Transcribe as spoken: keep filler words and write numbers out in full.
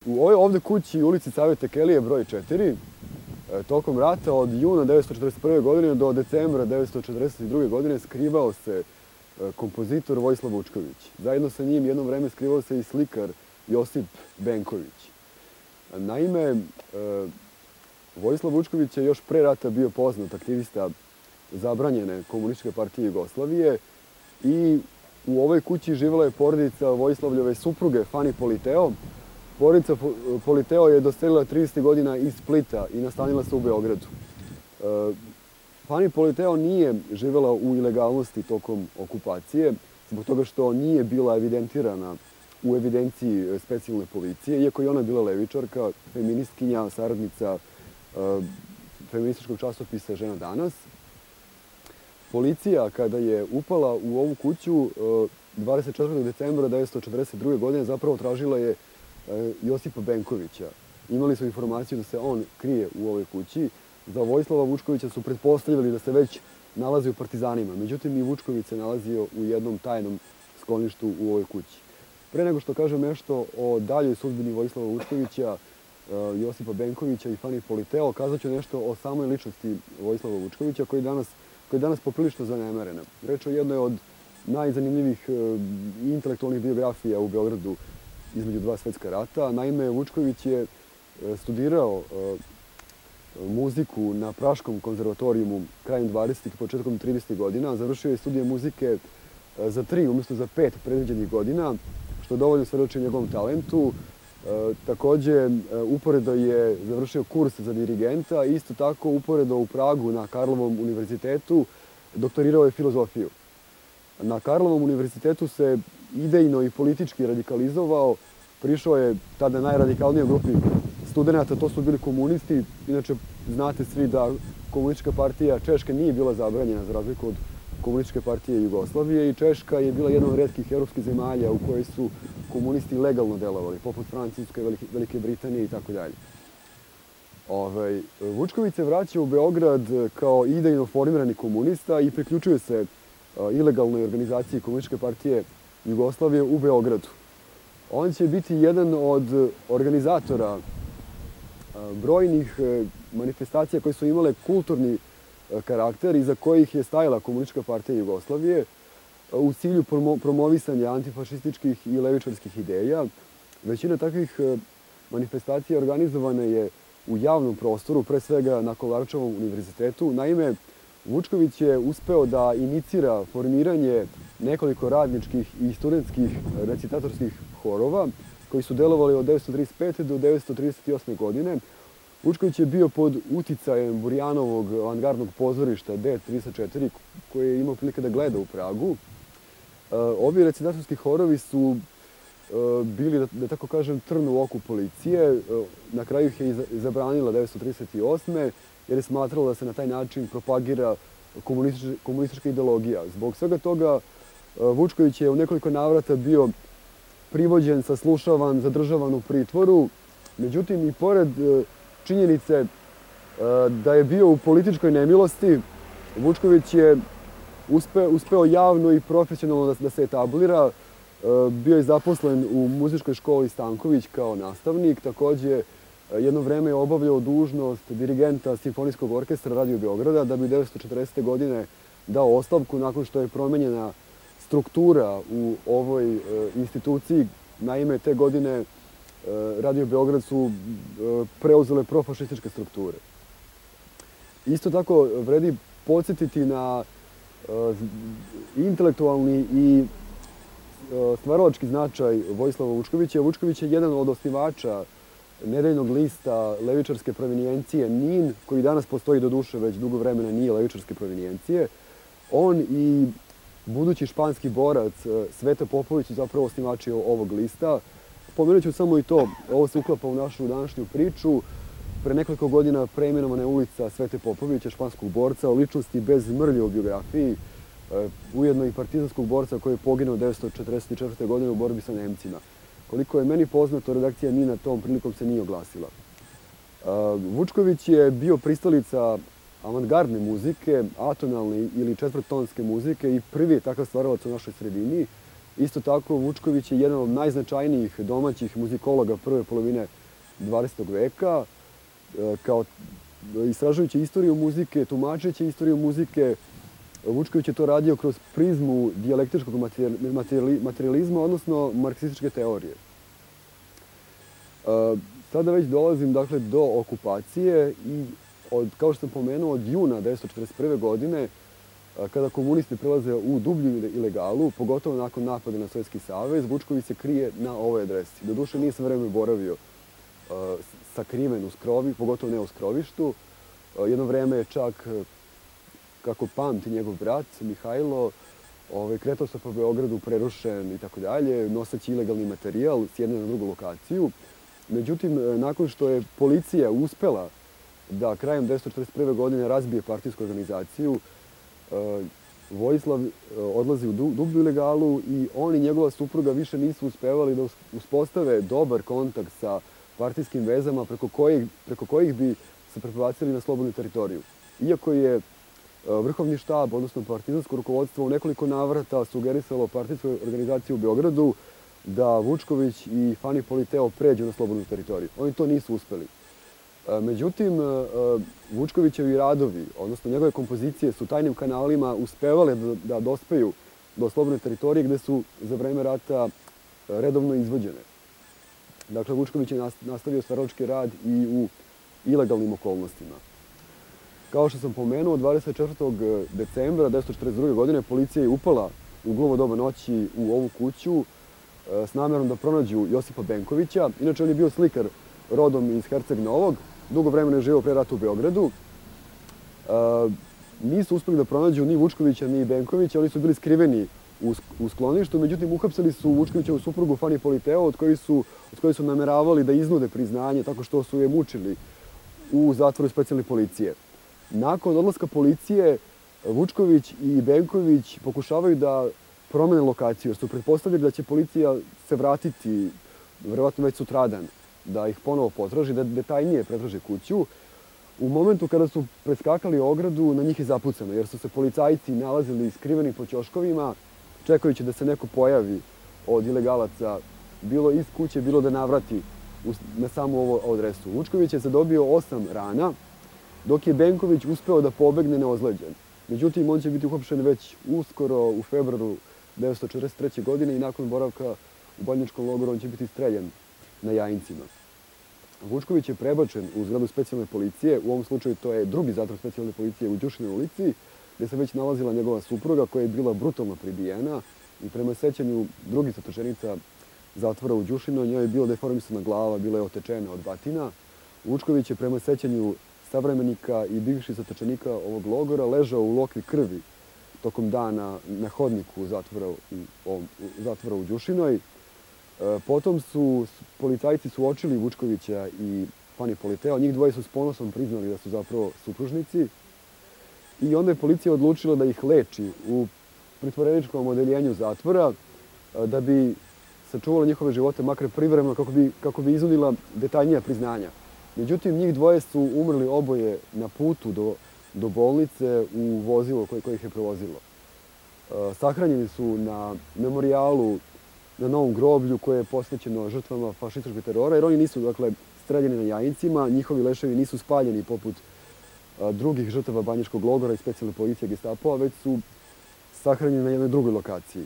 U ovoj ovde kući u ulici Savete Kelije broj četiri, tokom rata od juna devetsto četrdeset prve. godine do decembra devetsto četrdeset druge. godine skrivao se kompozitor Vojislav Vučković. Zajedno sa njim jedno vreme skrivao se i slikar Josip Benković. Naime, Vojislav Vučković je još pre rata bio poznat aktivista zabranjene Komunističke partije Jugoslavije i u ovoj kući živela je porodica Vojislavljeve supruge Fani Politeo. Porodica Politeo je doselila tridesetih godina iz Splita i nastanila se u Beogradu. Fani Politeo nije živela u ilegalnosti tokom okupacije, zbog toga što nije bila evidentirana u evidenciji specijalne policije, iako je ona bila levičarka, feministkinja, saradnica feminističkog časopisa Žena danas. Policija, kada je upala u ovu kuću dvadeset četvrtog decembra devetsto četrdeset druge. godine, zapravo tražila je Josipa Benkovića. Imali su informaciju da se on krije u ovoj kući. Za Vojislava Vučkovića su pretpostavljali da se već nalazi u partizanima. Međutim, i Vučković se nalazio u jednom tajnom skloništu u ovoj kući. Pre nego što kažem nešto o daljoj sudbini Vojislava Vučkovića, Josipa Benkovića i Fani Politeo, kazat ću nešto o samoj ličnosti Vojislava Vučkovića, koji danas, koji je danas poprilično zanemarena. Reč o jednoj od najzanimljivih intelektualnih biografija u Beogradu između dva svetska rata. Naime, Vučković je studirao muziku na Praškom konzervatorijumu krajem dvadesetih i početkom tridesetih godina. Završio je studije muzike za tri, umjesto za pet predviđenih godina, što dovoljno svedoči njegovom talentu. Takođe, uporedo je završio kurs za dirigenta i isto tako uporedo u Pragu na Karlovom univerzitetu doktorirao je filozofiju. Na Karlovom univerzitetu se idejno i politički radikalizovao. Prišao je tada najradikalnijoj grupi studenta, to su bili komunisti. Inače, znate svi da Komunistička partija Češke nije bila zabranjena za razliku od Komunističke partije Jugoslavije i Češka je bila jedna od retkih evropskih zemalja u kojoj su komunisti legalno delovali, poput Francuske, Velike Britanije i tako dalje. Vučković se vraća u Beograd kao idejno formirani komunista i priključuje se ilegalnoj organizaciji Komunističke partije Jugoslavije u Beogradu. On će biti jedan od organizatora brojnih manifestacija koje su imale kulturni karakter i za kojih je stajala Komunistička partija Jugoslavije u cilju promovisanja antifašističkih i levičarskih ideja. Većina takvih manifestacija organizovana je u javnom prostoru, pre svega na Kolarčevom univerzitetu. Naime, Vučković je uspeo da inicira formiranje nekoliko radničkih i studentskih recitatorskih horova koji su delovali od devetsto trideset pete. do devetsto trideset osme. godine. Vučković je bio pod uticajem Burjanovog avangardnog pozorišta D trideset četiri, koje je imao prilike da gleda u Pragu. Ovi recitatorski horovi su bili, da tako kažem, trn u oku policije. Na kraju ih je zabranila devetsto trideset osme. jer je smatrala da se na taj način propagira komunistička ideologija. Zbog svega toga Vučković je u nekoliko navrata bio privođen, saslušavan, zadržavan u pritvoru. Međutim, i pored činjenice da je bio u političkoj nemilosti, Vučković je uspeo javno i profesionalno da se etablira. Bio je zaposlen u muzičkoj školi Stanković kao nastavnik. Takođe, jedno vreme je obavljao dužnost dirigenta Simfonijskog orkestra Radio Beograda, da bi devetsto četrdesete. godine dao ostavku nakon što je promenjena struktura u ovoj instituciji. Naime, te godine Radio Beograd su preuzele profašističke strukture. Isto tako vredi podsjetiti na intelektualni i stvaralački značaj Vojislava Vučkovića. Vučković je jedan od osnivača nedeljnog lista levičarske provenijencije NIN, koji danas postoji, do duše već dugo vremena nije levičarske provenijencije. On i budući španski borac Sveta Popović su zapravo osnivači ovog lista. Pomenut ću samo i to, ovo se uklapa u našu današnju priču. Pre nekoliko godina preimenovana je ulica Svete Popovića, španskog borca, o ličnosti bez mrlje u biografiji, ujedno i partizanskog borca koji je poginuo devetsto četrdeset četvrte. godine u borbi sa Nemcima. Koliko je meni poznato, redakcija NIN-a tom prilikom se nije oglasila. Vučković je bio pristalica avangardne muzike, atonalne ili četvrttonske muzike i prvi je takav stvaralac u našoj sredini. Isto tako, Vučković je jedan od najznačajnijih domaćih muzikologa prve polovine dvadesetog veka. Kao istražujući istoriju muzike, tumačeći istoriju muzike, Vučković je to radio kroz prizmu dijalektičkog materijalizma, odnosno marksističke teorije. Sada već dolazim dakle, do okupacije i, od, kao što sam pomenuo, od juna devetsto četrdeset prve. godine, kada komunisti prelaze u dublju ilegalu, pogotovo nakon napada na Sovjetski savez, Vučković se krije na ovoj adresi. Doduše nije sve vreme boravio sakriven u skrovi, pogotovo ne u skrovištu. Jedno vreme je čak, kako pamti njegov brat Mihajlo, ovaj, kretao se po Beogradu prerušen i tako dalje, noseći ilegalni materijal s jedne na drugu lokaciju. Međutim, nakon što je policija uspela da krajem devetsto četrdeset prve. godine razbije partijsku organizaciju, Vojislav odlazi u dublju ilegalu i on i njegova supruga više nisu uspevali da uspostave dobar kontakt sa partijskim vezama preko kojih, preko kojih bi se prebacili na slobodnu teritoriju. Iako je vrhovni štab, odnosno partizansko rukovodstvo, u nekoliko navrata sugerisalo partijskoj organizaciji u Beogradu da Vučković i Fani Politeo pređu na slobodnu teritoriju. Oni to nisu uspeli. Međutim, Vučkovićevi radovi, odnosno njegove kompozicije, su tajnim kanalima uspevale da dospeju do slobodne teritorije gde su za vreme rata redovno izvođene. Dakle, Vučković je nastavio stvaralački rad i u ilegalnim okolnostima. Kao što sam pomenuo, dvadeset četvrtog decembra devetsto četrdeset druge. godine policija je upala u glovo doba noći u ovu kuću s namerom da pronađu Josipa Benkovića. Inače, on je bio slikar rodom iz Herceg Novog, dugo vremena je živeo pre rata u Beogradu. Nisu uspeli da pronađu ni Vučkovića, ni Benkovića, oni su bili skriveni u skloništu, međutim uhapsili su Vučkovićevu suprugu Fani Politeo, od koje su, od koje su nameravali da iznude priznanje tako što su je mučili u zatvoru specijalne policije. Nakon odlaska policije, Vučković i Benković pokušavaju da promene lokaciju, jer su pretpostavljali da će policija se vratiti, verovatno već sutradan, da ih ponovo potraži, da detaljnije pretraže kuću. U momentu kada su preskakali ogradu, na njih je zapucano, jer su se policajci nalazili skriveni po ćoškovima, čekajući da se neko pojavi od ilegalaca, bilo iz kuće, bilo da navrati na samu ovu adresu. Vučković je zadobio osam rana, dok je Benković uspeo da pobegne neozleđen. Međutim, on će biti uhapšen već uskoro u februaru devetsto četrdeset treće. godine i nakon boravka u banjačkom logoru on će biti streljan na Jajincima. Vučković je prebačen u zgradu specijalne policije, u ovom slučaju to je drugi zatvor specijalne policije u Đušinoj ulici, gde se već nalazila njegova supruga koja je bila brutalno pribijena i prema sećanju drugih zatočenica zatvora u Đušinoj, njoj je bila deformisana glava, bila je otečena od batina. Vučković je prema sećanju savremenika i bivših zatočenika ovog logora ležao u lokvi krvi tokom dana na hodniku zatvora u, zatvora u Đušinoj. Potom su policajci suočili Vučkovića i Fani Politeo. Njih dvoje su s ponosom priznali da su zapravo supružnici. I onda je policija odlučila da ih leči u pritvoreničkom odeljenju zatvora da bi sačuvala njihove živote, makar privremeno, kako bi, kako bi izunila detaljnija priznanja. Međutim, njih dvoje su umrli oboje na putu do, do bolnice u vozilu koje, koje ih je prevozilo. Sahranjeni su na memorijalu na Novom groblju koje je posvećeno žrtvama fašističkog terora, jer oni nisu, dakle, streljani na Jajincima, njihovi leševi nisu spaljeni poput a, drugih žrtava banjačkog logora i specijalne policije Gestapoa, već su sahranjeni na jednoj drugoj lokaciji.